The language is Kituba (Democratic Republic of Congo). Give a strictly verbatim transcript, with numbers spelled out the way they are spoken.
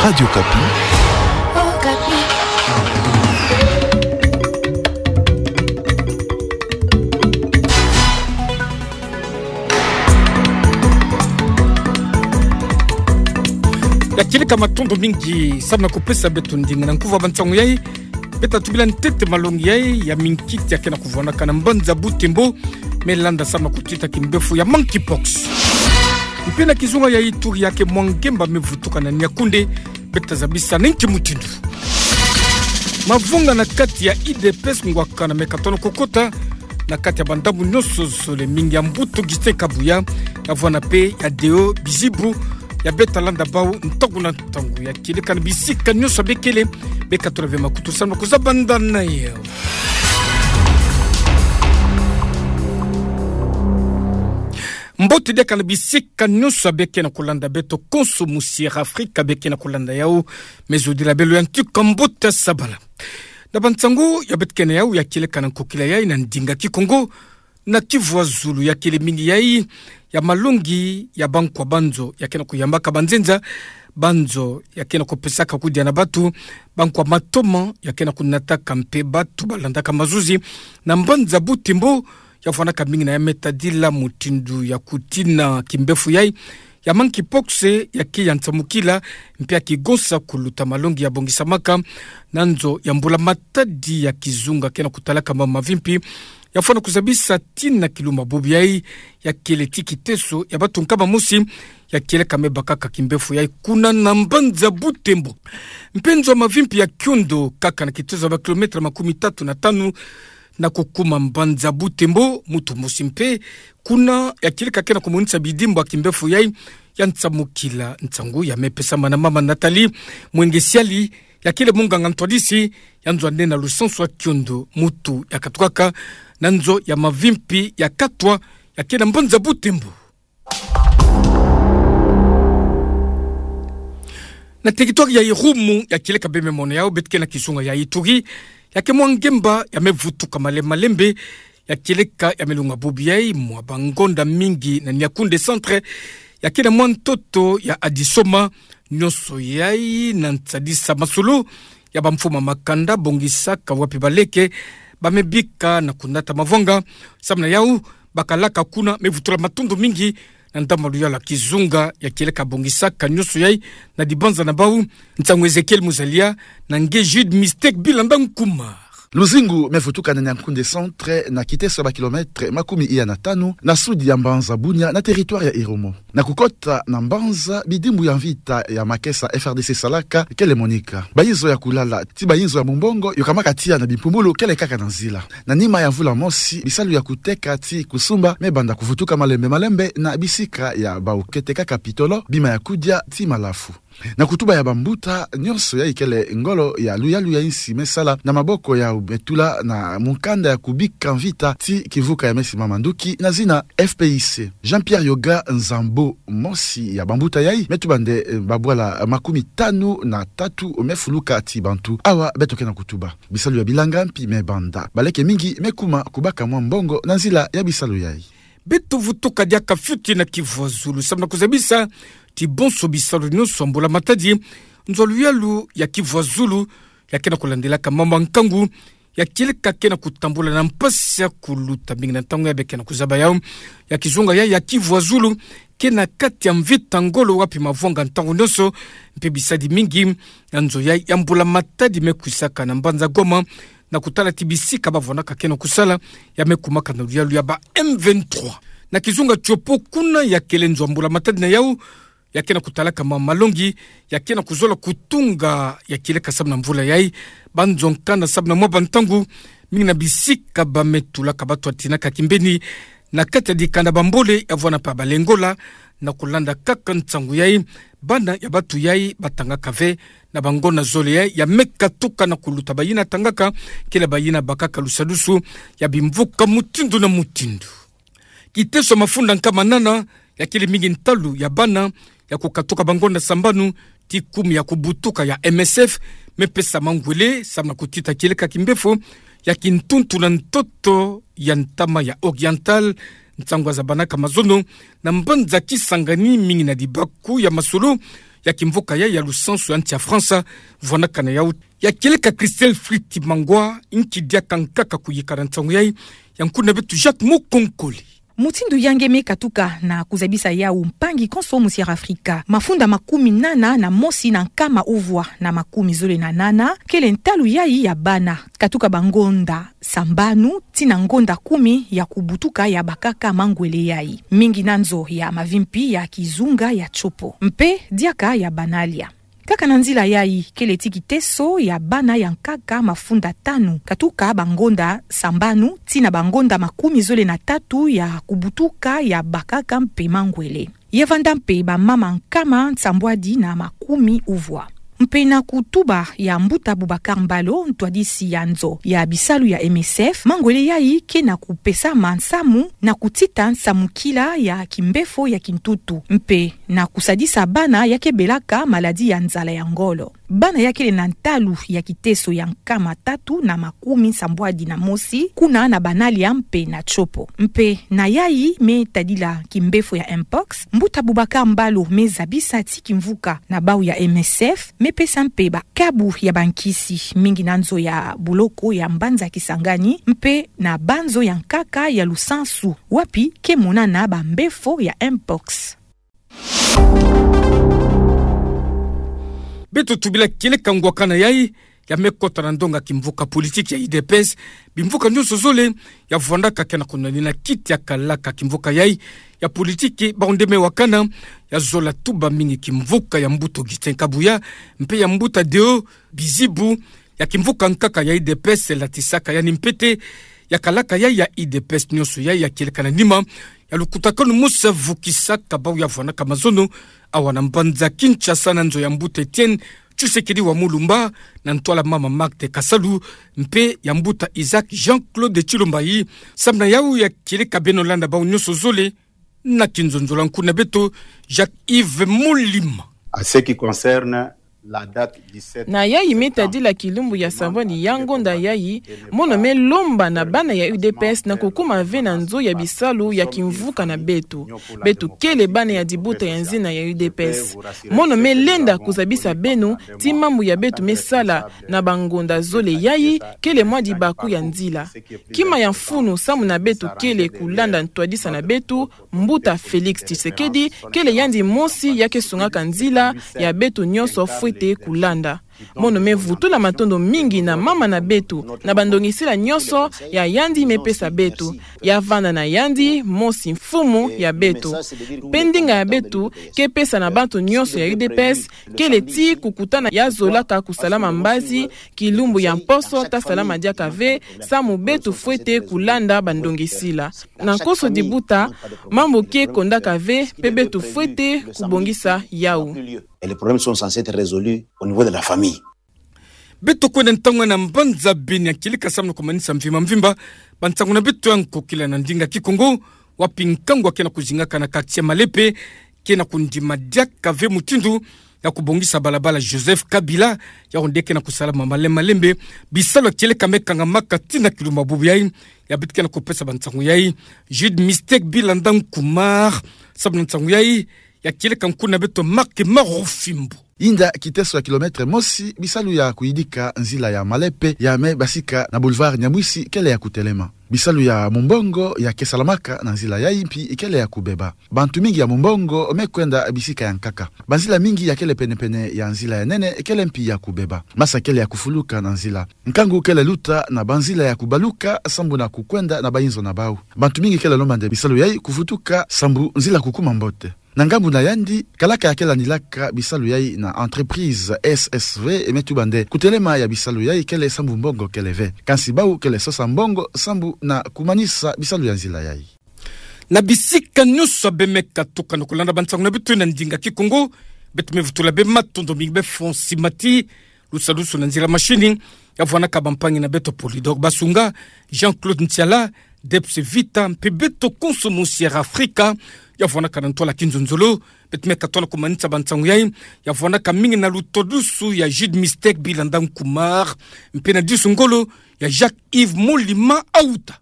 Radio Okapi. Ya kieleka, matondo mingi samu na kupesa beto ndinga na nkufi ya bansangu yai. Beta tubila ntete malongi yai ya minkiti ya kena kuvwanaka na mbanza Butembo, me landa samu na kutita kimbefo ya monkeypox. Mpe na kizunga ya Ituri, ya ke mwa ngemba me vutuka na Niakoundé, beta zabisa na inki mutindu. Mavanga na kati ya U D P S ngwakana me katono kokota na kati ya bandambu nyonso zole, mingi ya mbuta Augustin Kabuya, ya vwanda mpe ya Deo Bizibu, ya beta landa bau ntangu na ntangu. Ya kieleka na bisika nyonso bekele, beka tola ve makutu samu na kuzaba ndani yao. Mbote diaka na bisika nyonso beke na kulanda beto konso mu Sierra Africa, beke na kulanda yau, me zodila belo ya ntika mbote sabala. Na bansangu ya beto ke na yau ya kieleka na nkokila yai na ndinga Kikongo, na Kivu ya Zulu, ya kele mingi yai ya malongi ya bankwa banzo ya kena kuyambaka banzenza, banzo ya kena kupesaka kudia na batu, bankwa matoma ya kena kunataka mpe batu balandaka mazuzi na mbanza Butembo, ya vwanaka mingi na ya me tadila mutindu ya kutina kimbefo yai ya monkeypox, ya ke ya nsamukila mpe ya kigonsa kuluta malongi ya bongisamaka na nzo ya mbula matadi ya kizunga kena kutalaka mambu mavimpi, ya fwana kuzabisa tina kilumbu bubu yai, ya kele ti kiteso ya batu nkama mosi, ya kieleka me bakaka kimbefo yai kuna na mbanza Butembo. Mpe nzo ya mavimpi ya Kiondo, kaka na kiteso ya ba kilomètre makumi tatu na tanu na kukuma mbanza Butembo, mutu mosi mpe kuna ya kieleka kena kumonisa bidimbu ya kimbefo yai ya nsamukila. Nsangu ya me pesama na mama Nathalie Mwengesiali, ya kele munganga ntwadisi ya nzo ya nene na lusansu ya Kiondo, mutu ya katukaka na nzo ya mavimpi ya Katwa, ya ke na mbanza Butembo. Na territoire ya Irumu, ya kieleka bie me mona yau, beto ke na kizunga ya Ituri, ya ke mwa ngemba ya me vutuka malembe malembe, ya kieleka ya me lunga bubu yai mwa bangonda mingi na Niakoundé Centre, ya ke na mwa ntoto ya Adisoma, nyonso yai na nsadisa masolo ya bamfumu ya makanda bongisaka wapi baleke ba me bika na kunata mavanga. Samu na yau, bakalaka kuna me vutula matondo mingi na ndambu ya luyalu ya kizunga ya kieleka bongisaka nyonso yai na dibanza na bau. Nsangu Ezekiel Muzalia na nge Jude Mystère Bilanda Nkumar. Luzingu me vutuka na Niakoundé Centre na kiteso ya ba kilomètre makumi iya na tanu na sud ya mbanza Bunia na territoire ya Irumu. Na kukota na mbanza, bidimbu ya mvita ya makesa F R D C salaka kele monika. Bainzo ya kulala ti bainzo ya mumbongo yokamaka tiya na bimpumbulu kele kaka na nzila. Na nima ya mvula mosi, bisalu ya kuteka ti kusumba me banda kuvutuka malembe malembe na bisika ya bau kete kaka pitolo, bima ya kudia ti malafu. Na kutuba ya bambuta, nyonso yai kele ngolo ya luyalu ya insi me sala na maboko ya betula na mukanda ya kubika mvita ti kimvuka ya me simama nduki na zina F P I C. Jean-Pierre Yoga Nzambo, mosi ya bambuta yai, me tuba nde, eh, babwala makumi tanu na tatu me fuluka ti bantu. Awa beto ke na kutuba, bisalu ya bilanga mpi me banda. Baleke mingi me kuma kubaka mwa mbongo na nzila ya bisalu yai. Beto vutuka diaka fioti na Kivu ya Zulu samu na kuzabisa ti bonso bisalu nyonso ya mbula matadi, nzo ya luyalu ya Kivu ya Zulu ya ke na kulandelaka mambu ya nkangu, ya kieleka ke na kutambula na mpasi ya kuluta mingi na ntangu ya be ke na kuzaba yau. Ya kizunga yai ya Kivu ya Zulu ke na kati ya mvita ngolo wapi mavanga ntangu nyonso, mpe bisadi mingi ya nzo yai ya mbula matadi me kwisaka na mbanza Goma, na kutala ti bisika bavwanaka ke na kusala ya me kumaka na luyalu ya ba M vingt-trois. Na kizunga Tshopo, kuna ya kele nzo ya mbula matadi na yau ya ke na kutalaka ma malongi, ya ke na kuzola kutunga, ya kieleka samu na mvula yai. Banzo nkanda samu na mwa bantangu, mingi na bisika ba me tulaka batu ya tinaka kimbeni na kati ya dikanda Bambole, ya vwanda mpe Balengola. Na kulanda kaka nsangu yai, bana ya batu yai batangaka ve na bangonda zole yai ya me katuka na kuluta bayina tangaka, kele bayina bakaka lusadusu ya bimvuka mutindu na mutindu. Kiteso ya mafunda nkama nana ya kele mingi ntalu ya bana ya kukatuka bangonda sambanu ti kumi ya kubutuka ya M S F me pesa mangwele samu na kutita kieleka kimbefo ya kintuntu na ntoto ya ntama ya Oriental. Nsangu ya zabanaka mazono na mbanza Kisangani, mingi na dibaku ya masolo ya kimvuka yai ya lusansu ya nsi ya Fransa, vwanakana yau. Ya kieleka Christelle Fritz Mangwa, nki diaka nkaka kuyika na nsangu yai, ya nkuna beto Jacques Mukonkole. Mutindu ya nge me katuka na kuzabisa yau mpangi konso mu Sierra Afrika. Mafunda makumi nana na mosi na nkama uvwa na makumi zole na nana, kele ntalu yai ya bana katuka bangonda sambanu tii na ngonda kumi ya kubutuka ya bakaka mangwele yai. Mingi na nzo ya mavimpi ya kizunga ya tsopo. Mpe diaka ya bana lia. Kaka na nzila yai, kele tii kiteso ya bana ya nkaka mafunda tanu katuka bangonda sambanu tii na bangonda makumi zole na tatu ya kubutuka ya bakaka mpe mangwele. Ya vanda mpe bamama nkama nsambwadi na makumi uvwa. Mpe na kutuba ya mbuta Boubacar Mbalo, ntwadisi ya nzo ya bisalu ya M S F, mangwele yai ke na kupesama nsamu na kutita nsamukila ya kimbefo ya kintutu, mpe na kusadisa bana ya ke belaka maladie ya nzala ya ngolo. Bana ya kele na ntalu ya kiteso ya nkama tatu na makumi nsambwadi na mosi, kuna na bana lia mpe na tsopo. Mpe na yai me tadila kimbefo ya mpox, mbuta Boubacar Mbalo me zabisa tii kimvuka na bau ya M S F, me pesa mpe bakabu ya bankisi, mingi na nzo ya buloko ya mbanza Kisangani, mpe na banzo ya nkaka ya lusansu, wapi ke monana bambefo ya mpox. Beto tubila kieleka ngwakana yai, ya me kota na ndonga kimvuka politique ya U D P S, bimvuka nyonso zole, ya vwandaka ke na kunwanina kiti ya kalaka kimvuka yai, ya politique, bau nde me wakana, ya zola tuba mingi kimvuka ya mbuta Augustin Kabuya, mpe ya mbuta Deo Bizibu, ya kimvuka nkaka ya U D P S, latisaka yandi mpete, ya kalaka yai ya U D P S nyonso yai ya kieleka na nima, ya lukutakanu mosi ya vukisaka bau ya vwanaka mazono, awa na mbanza Kinshasa na nzo ya mbuta Etienne Tshisekedi wa Mulumba, na ntwala mama Marthe Kasalu, mpe ya mbuta Isaac Jean-Claude Tshilombo yai, samu na yau ya kieleka beno landa bau nyonso zole, na kinzonzolo nkuna beto, Jacques Yves Molima. En ce qui concerne la date du sept septembre. Na yai me tadila kilumbu ya sambwadi ya ngonda yai, mono me lomba na bana ya U D P S na kukuma ve na nzo ya bisalu ya kimvuka na beto. Beto kele bana ya dibuta ya nzina ya U D P S. Mono me lenda kuzabisa beno, tii mambu ya beto me sala na bangonda zole yai, kele mwa dibaku ya nzila. Kima ya mfunu samu na beto kele kulanda ntwadisa na beto, mbuta Félix Tshisekedi, kele yandi mosi ya ke sungaka nzila ya beto nyonso fwete kulanda. Mono me vutula matondo mingi na mama na beto, na bandongisila nyonso ya yandi me pesa beto. Ya vanda na yandi mosi mfumu ya beto. Mpe ndinga ya beto ke pesa na bato nyonso ya U D P S, kele tii kukutana ya zolaka kusalama mbazi, kilumbu ya mposo ta salama diaka ve, samu beto fwete kulanda bandongisila. Na konso dibuta, mambu ke kondaka ve, mpe beto fwete kubongisa yau. Et les problèmes sont censés être résolus au niveau de la famille. Beto kwenda ntangu na mbanza Beni ya kieleka samu na kumanisa mvimba mvimba bansangu na beto ya nkokila na ndinga Kikongo, wapi nkangu ke na kuzingaka na quartier Malepe, ke na kundima diaka ve mutindu ya kubongisa balabala Joseph Kabila, yau nde ke na kusalama malembe malembe. Bisalu ya kieleka me kangamaka tii na kilumbu bubu yai, ya beto ke na kupesa bansangu yai, Jude Mistake Bilanda Nkumar, samu na nsangu yai, ya kieleka nkuna beto Marc Marufimbo. Yinda kiteso ya kilomètre mosi, bisalu ya kuyidika nzila ya Malepe ya me basika na boulevard Nyamwisi kele ya kutelema. Bisalu ya mumbongo ya ke salamaka na nzila yai mpi kele ya kubeba. Bantu mingi ya mumbongo me kwenda bisika ya nkaka. Banzila mingi ya kele pene-pene ya nzila ya nene kele mpi ya kubeba. Masa kele ya kufuluka na nzila. Nkangu kele luta na banzila ya kubaluka sambu na kukwenda na bayinzo na bau. Bantu mingi kele lomba nde bisalu yai kuvutuka sambu nzila kukuma mbote. Na ngambu na yandi, kalaka ya ke landilaka bisalu yai na entreprise S S V me tuba nde kutelema ya bisalu yai kele sambu mbongo kele ve. Kansi bau kele sosa mbongo sambu na kumanisa bisalu ya nzila yai. Na bisika nyonso ya beno me katuka na kulanda bansangu na beto na ndinga Kikongo, beto me vutula beno matondo mingi, beno fonde simba tii lusalusu na nzila mashini, ya vwanaka bampangi na beto Polydor Basunga, Jean-Claude Ntiala, Debs Vita, mpe beto konso mu Sierra Africa, ya vwanaka na ntwala kinzonzolo. Beto me katuka na kumanisa bansangu yai, ya vwanaka mingi na lutwadusu ya Jude Mistake Bilanda Nkumar, mpe na disu ngolo ya Jacques Yves Molima Auta.